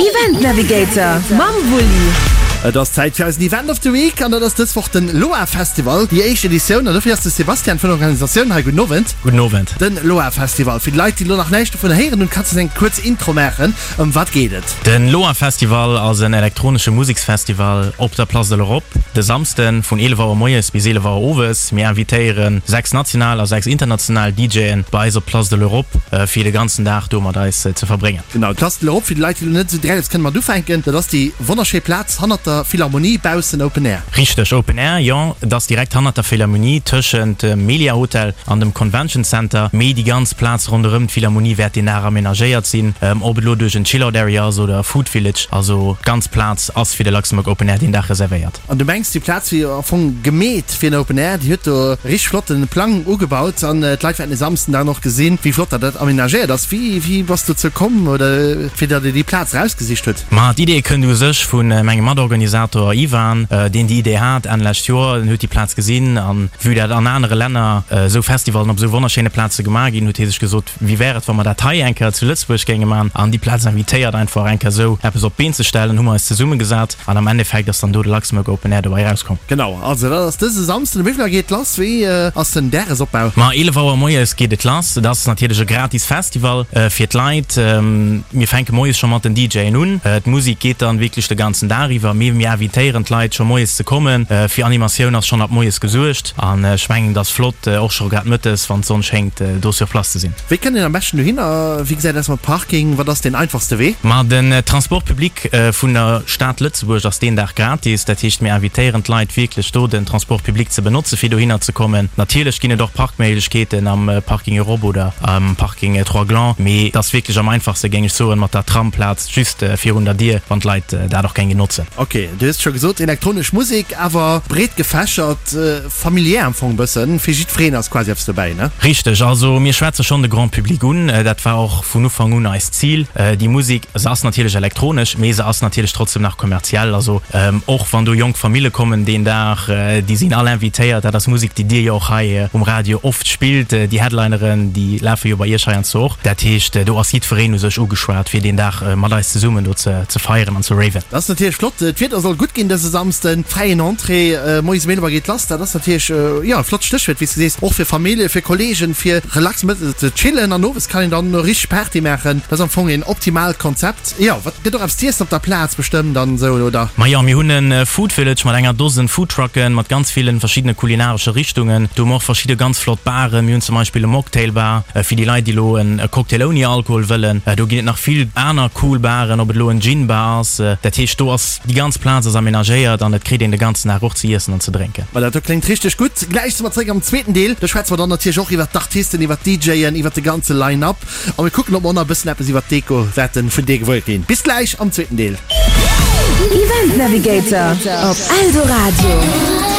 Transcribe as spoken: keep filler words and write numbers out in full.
Event Navigator mam Wulli. Et ass Zäit fir eisen Event of the Week an dat ass dës Woch den Loa Festival, déi éischt Editioun. An dofir ass de Sebastian vun der Organisatioun hei. Gudden Owend. Gudden Owend. Den Loa Festival, fir déi Leit, déi elo nach näischt dovun héieren hunn, kanns de eng kuerz Intro maachen? Ëm wat geet et? Den Loa Festival ass en elektronesche Museksfestival op der Place de l'Europe de Samsden vun eelef Auer moies bis eelef Auer owes. Mir invitéiere sechs national a sechs international DJen bei eis op d'Place de l'Europe fir de ganzen Dag do mat eis ze verbréngen. Genau, d'Place de l'Europe, fir déi Leit, déi elo net esou direkt eppes kënne mat ufänken, dat ass déi wonnerschéi Plaz hannert der Philharmonie, baussen Open Air. Richteg, Open Air, jo. Et ass direkt hannert der Philharmonie, tëschent dem Melia Hotel an dem Convention Center. Mee déi ganz Plaz ronderëm d'Philharmonie wäert deen Dag amenagéiert sinn, ob et elo duerch en Chill-Out Area ass oder e Food Village. Also d'ganz Plaz ass fir de Luxembourg Open Air deen Dag reservéiert. An du mengs, déi Plaz wier am Fong gemeet fir en Open Air? Déi huet do e richteg flotte Plang ugebaut an d'Leit wäerten e Samsden dann och gesinn, wéi flott dat dat amenagéiert ass. Wéi wéi bass dozou komm oder fir datt Dir déi Plaz erausgesicht hutt? Ma d'Idee kënnt u sech vu mengem Matorganisator Ivan, deen déi Idee hat Enn lescht Joer. En huet déi Plaz gesinn an vue dat an anere Länner esou Festivallen op esou wonnerschéine Plaze gemaach ginn, huet hie sech gesot, wéi wär et, wa mer dat hei eng Kéier zu Lëtzebuerg géinge man an déi Plaz invitéiert einfach eng Kéier esou eppes op d'Been ze stellen. Hu mer eis zesummegesat an am Endeffekt ass dann do de Luxembourg Open Air dobäi erauskomm. Genau, also dat ass dëse Samsden. Um wéi vill Auer geet et lass? Wéi ass den Dagesopbau? Ma eelef Auer moies geet et lass. Et ass natierlech e gratis Festival fir d'Leit. Mir fänke moies scho mat den DJen un. D'Musek geet dann wierklech de ganzen Dag iwwer, mee mir invitéieren d'Leit scho moies ze kommen. Fir Animatioun ass schonn ab moies gesuergt an ech mengen et ass flott och scho grad mëttes, wann d'Sonn schéngt, do sur place ze sinn. Wéi kënnt een am beschten dohinner? Wéi gesäit aus mat Parking? Wat ass deen einfachste Wee? Ma den Transport public vun der Stad Lëtzebuerg ass deen Dag gratis. Dat heescht mir invitéieren d'Leit wierklech do den Transport public ze benotze fir dohinner ze kommen. Natierlech ginn et och Parkméiglechkeeten am Parking Europe oder am Parking Trois Glands, mee et ass wierklech am einfachste géing ech soen mat der Tramplaz just virun der Dier, wann d'Leit dat och géinge notzen. Ok, du hues scho gesot, elektronesch Musek, awer breet gefächert, familiär am Fong bëssen, fir jiddwereen ass quasi eppes dobäi, ne? Richteg, also mir schwätze schonn de Grand Public un, dat war och vun Ufank un eist Zil. Déi Musek, se ass natierlech elektronesch, mee se ass natierlech trotzdem nach kommerziell. Also och wann do jonk Famille kommen deen Dag, déi sinn all invitéiert. Dat ass Musek, déi Dir jo och hei um Radio oft spillt. Déi Headlineren, déi lafe jo bei Iech heiansdo och. Dat heescht, do ass jiddwereen u sech ugeschwat, fir deen Dag mat eis zesummen do ze feieren an ze raven. Dat ass natierlech flott. D'Wieder soll gutt ginn dëse Samsden. Fräien Entrée, moies um eelef Auer geet lass. Dat ass natierlech, jo, e flott Stéchwuert, wéi s de sees, och fir Famillje, fir Kolleegen, fir relax mëttes ze chillen an owes kann een dann richteg Party maachen. Dat ass am Fong een optimaalt Konzept. Jo, wat gëtt och eppes z'iessen op der Plaz bestëmmt an esou, oder? Majo, mir hunn e Food Village mat enger Dosen Foodtrucken, mat ganz villen verschiddene kulinaresche Richtungen. Do hu mer och verschidde ganz flott Baren. Mir hunn zum Beispill e Mocktail Bar fir déi Leit, déi elo e Cocktail ouni Alkohol wëllen. Do ginn et nach vill aner cool Baren, ob et elo en Gin Bar ass. Dat heescht, do ass déi ganz Plaz ass amenagéiert an et kritt een de ganzen Dag och ze iessen an ze drénken. Ma dat do kléngt richteg gutt. Gläich si mer zréck am zweeten Deel. Do schwätze mer dann natierlech och iwwert d'Artisten, iwwert d'DJen, iwwert de ganze Line-Up a mir kucken, ob mer och nach e bëssen eppes iwwert d'Deko wäerte vun dir gewuer ginn. Bis gläich am zweeten Deel. Event Navigator op Eldoradio.